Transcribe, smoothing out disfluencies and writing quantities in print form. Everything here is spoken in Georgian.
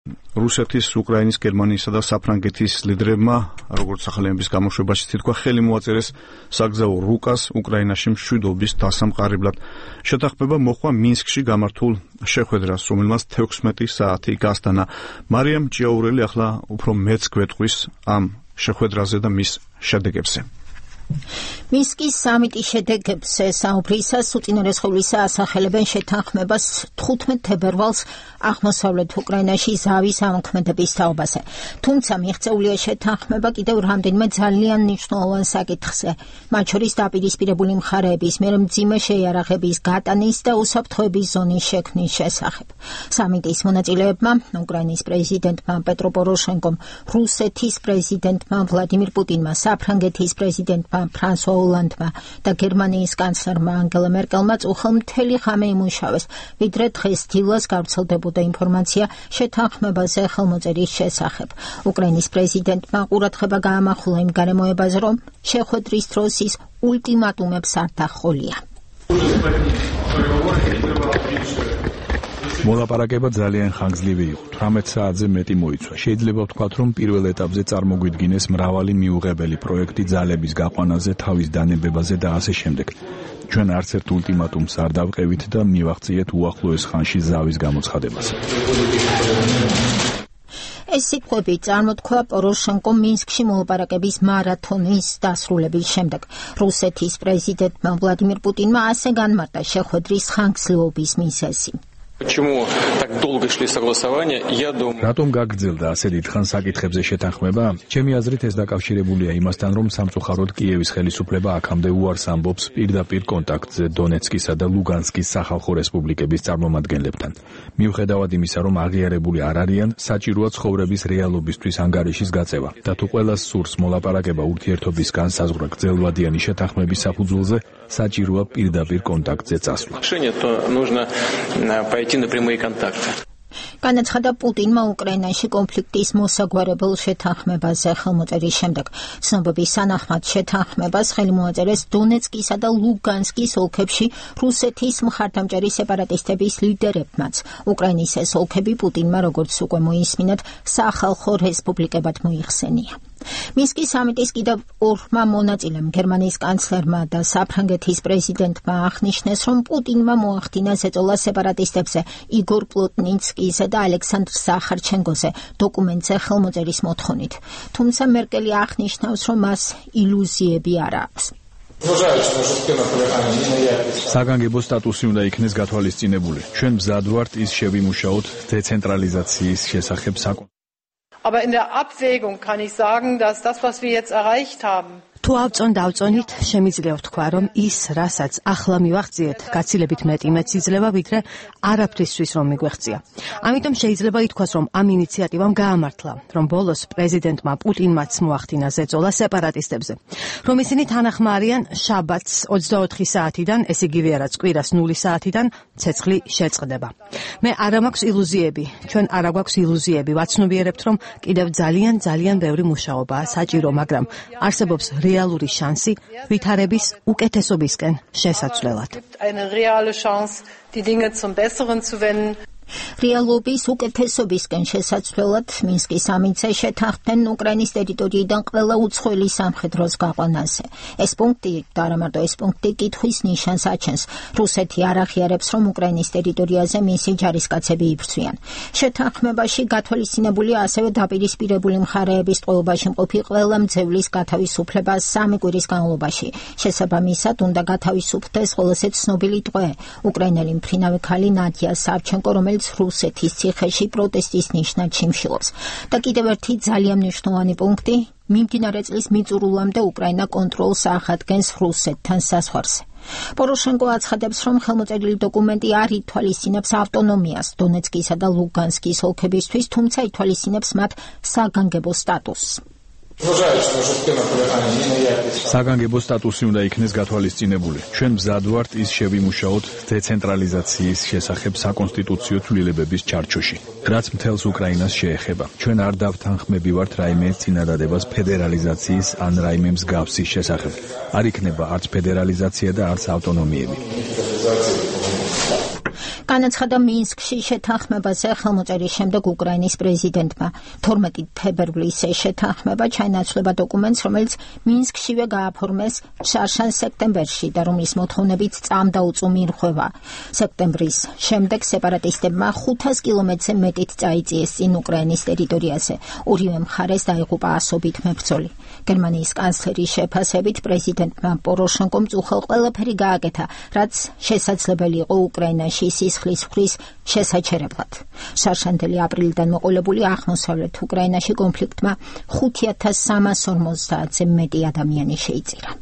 რუსეთის, უკრაინის, გერმანიისა და საფრანგეთის ლიდერებმა, როგორც სახელმწიფოს გამოშვებაში თქვა, ხელი მოაწერეს საგზაო რუკას უკრაინაში მშვიდობის დასამყარებლად. შეთანხმება მოხდა მინსკში გამართულ შეხვედრას, რომელმაც 16 საათი გასტანა. მარიამ ჭიაურელი ახლა უფრო მეც გვეტყვის ამ შეხვედრაზე და მის შედეგებზე. მინსკის სამიტის შედეგებზე საუბრისას უწინარესხევლისა ასახელებენ შეთანხმებას 15 თებერვალს აღმოსავლეთ უკრაინაში ზავის ამოქმედების თაობაზე. თუმცა მიღწეულია შეთანხმება კიდევ რამდენიმე ძალიან მნიშვნელოვან საკითხზე, მათ შორის დაპირისპირებული მხარეების მიერ მძიმე შეიარაღების გატანის და უსაფრთხოების ზონის შექმნის შესახებ. სამიტის მონაწილეებმა, უკრაინის პრეზიდენტმა პეტრო პოროშენკომ, რუსეთის პრეზიდენტმა ვლადიმირ პუტინმა, საფრანგეთის პრეზიდენტმა ფრანსუა ოლანდმა და გერმანიის კანცლერმა ანგელა მერკელმა უხელმთელი ხამე იმუშავეს, ვიდრე დღეს დილას გავრცელდებოდა ინფორმაცია შეთანხმებაზე ხელმოწერის შესახებ. უკრაინის პრეზიდენტმა ყურადღება გაამახვილა იმ გარემოებაზე, რომ შეხვედრის დროს ის ულტიმატუმებს არ დაჰყოლია. მოლაპარაკება ძალიან ხანგრძლივი იყო. 18 საათზე მეტი მოიცვა. შეიძლება ვთქვათ, რომ პირველ ეტაპზე წარმოგვიდგინეს მრავალი მიუღებელი პროექტი ძალების გაყვანაზე, თავის დანებებაზე და ასე შემდეგ. ჩვენ არც ერთ ულტიმატუმს არ დავყევით და მივაღწიეთ უახლოეს ხანში ზავის გამოცხადებას. ეს სიტყვები წარმოთქვა პოროშენკომ მინსკში მოლაპარაკების მარათონის დასრულების შემდეგ. რუსეთის პრეზიდენტმა ვლადიმირ პუტინმა ასე განმარტა შეხვედრის ხანგრძლივობის მიზეზი. რატომ გაგრძელდა ასე დიდხანს საკითხებზე შეთანხმება? ჩემი აზრით ეს დაკავშირებულია იმასთან, რომ სამწუხაროდ კიევის ხელისუფლება აქამდე უარს ამბობს პირდაპირ კონტაქტზე დონეცკისა და ლუგანსკის სახალხო რესპუბლიკების წარმომადგენლებთან. მიუხედავად იმისა, რომ აღიარებული არ არიან, საჭიროა ცხოვრების რეალობისთვის ანგარიშის გაწევა და თუ ყველას სურს მოლაპარაკება ურთიერთობის განსაზღვრა გრძელვადიანი შეთანხმების საფუძველზე, საჭიროა პირდაპირ კონტაქტზე წასვლა. განაცხადა პუტინმა უკრაინაში კონფლიქტის მოსაგვარებელ შეთანხმებაზე ხელმოწერის შემდეგ. ცნობების თანახმად შეთანხმებას ხელი მოაწერეს დონეცკისა და ლუგანსკის ოლქებში რუსეთის მხარდამჭერი სეპარატისტების ლიდერებმაც. უკრაინის ეს ოლქები პუტინმა, როგორც უკვე მოისმინეთ, სახალხო რესპუბლიკებად მოიხსენია. მინსკის სამიტის კიდევ ორმა მონაწილემ, გერმანიის კანცლერმა და საფრანგეთის პრეზიდენტმა აღნიშნეს, რომ პუტინმა მოახდინა ზეწოლა სეპარატისტებზე იგორ პლოტნიცკიზე და ალექსანდრ სახარჩენკოზე დოკუმენტზე ხელმოწერის მოთხოვნით. თუმცა მერკელი აღნიშნავს, რომ მას ილუზიები არ აქვს. საგანგებო სტატუსი უნდა იქნეს გათვალისწინებული. ჩვენ მზად ვართ ის შევიმუშაოთ დეცენტრალიზაციის შესახებ საკითხი. Aber in der Abwägung kann ich sagen, dass das, was wir jetzt erreicht haben, თუ ავწონდავწონით, შემიძლია ვთქვა, რომ ის, რასაც ახლა მივაღწიეთ, გაცილებით მეტი იძლევა, ვიდრე არაფრისთვის რომ მიგვეღწია. ამიტომ შეიძლება ითქვას, რომ ამ ინიციატივამ გაამართლა, რომ ბოლოს პრეზიდენტმა პუტინმაც მოახდინა ზეწოლა სეპარატისტებზე, რომ ისინი თანახმა არიან შაბათს 24 საათიდან, ეს იგივე რაც კვირას 0 საათიდან ცეცხლი შეწყდება. მე არ მაქვს ილუზიები, ჩვენ არ გვაქვს ილუზიები, ვაცნობიერებთ, რომ კიდევ ძალიან ბევრი მუშაობაა საჭირო, მაგრამ არსებობს რეალური შანსი ვითარების უკეთესობისკენ შესაცვლელად. რეალობის უკეთესობისკენ შესაცვლელად მინსკის სამიტზე შეთანხმდნენ უკრაინის ტერიტორიიდან ყველა უცხოელი სამხედროს გაყვანაზე. ეს პუნქტი და არა მარტო ეს პუნქტი კითხვის ნიშანს აჩენს. რუსეთი არ აღიარებს, რომ უკრაინის ტერიტორიაზე მისი ჯარისკაცები იბრძვიან. შეთანხმებაში გათვალისწინებულია ასევე დაპირისპირებული მხარეების ტყვეობაში მყოფი ყველა მძევლის გათავისუფლება 3 კვირის განმავლობაში. შესაბამისად უნდა გათავისუფლდეს ყველაზე ცნობილი ტყვე, უკრაინელი მფრინავი ქალი ნადია სავჩენკო, რომელიც რუსეთის ციხეში პროტესტის ნიშნად შიმშილობს. და კიდევ ერთი ძალიან მნიშვნელოვანი პუნქტი, მიმდინარე წლის მიწურულამდე უკრაინა კონტროლს აღადგენს რუსეთთან საზღვარზე. პოროშენკო აცხადებს, რომ ხელმოწერილი დოკუმენტი არ ითვალისწინებს ავტონომიას დონეცკისა და ლუგანსკის ოლქებისთვის, თუმცა ითვალისწინებს მათ საგანგებო სტატუსს. საგანგებო სტატუსი უნდა იქნეს გათვალისწინებული. ჩვენ მზად ვართ ის შევიმუშაოთ დეცენტრალიზაციის შესახებ საკონსტიტუციო ცვლილებების ჩარჩოში, რაც მთელს უკრაინას შეეხება. ჩვენ არ დავთანხმები ვართ რაიმე წინადადებას ფედერალიზაციის ან რაიმე მსგავსის შესახებ. არ იქნება არც ფედერალიზაცია და არც ავტონომიები. განაცხადა მინსკში შეთანხმებაზე ხელმოწერის შემდეგ უკრაინის პრეზიდენტმა. 12 თებერვლის შეთანხმება ჩაენაცვლება დოკუმენტს, რომელიც მინსკშივე გააფორმეს შარშან სექტემბერში და რომლის მოთხოვნებით წამდაუწუ მირღვევა. სექტემბრის შემდეგ სეპარატისტებმა 500 კილომეტრზე მეტით წაიწიეს წინ უკრაინის ტერიტორიაზე. ორივე მხარეს დაიღუპა ასობით მებრძოლი. გერმანიის კანცლერის შეფასებით პრეზიდენტმა პოროშენკომ უხელ ყველაფერი გააკეთა, რაც შესაძლებელი იყო უკრაინაში სისხლის ხრის შესაჩერებლად. შარშანდელი აპრილიდან მოყოლებული აღმოსავლეთ უკრაინაში კონფლიქტმა 5350-ზე მეტი ადამიანი შეიწირა.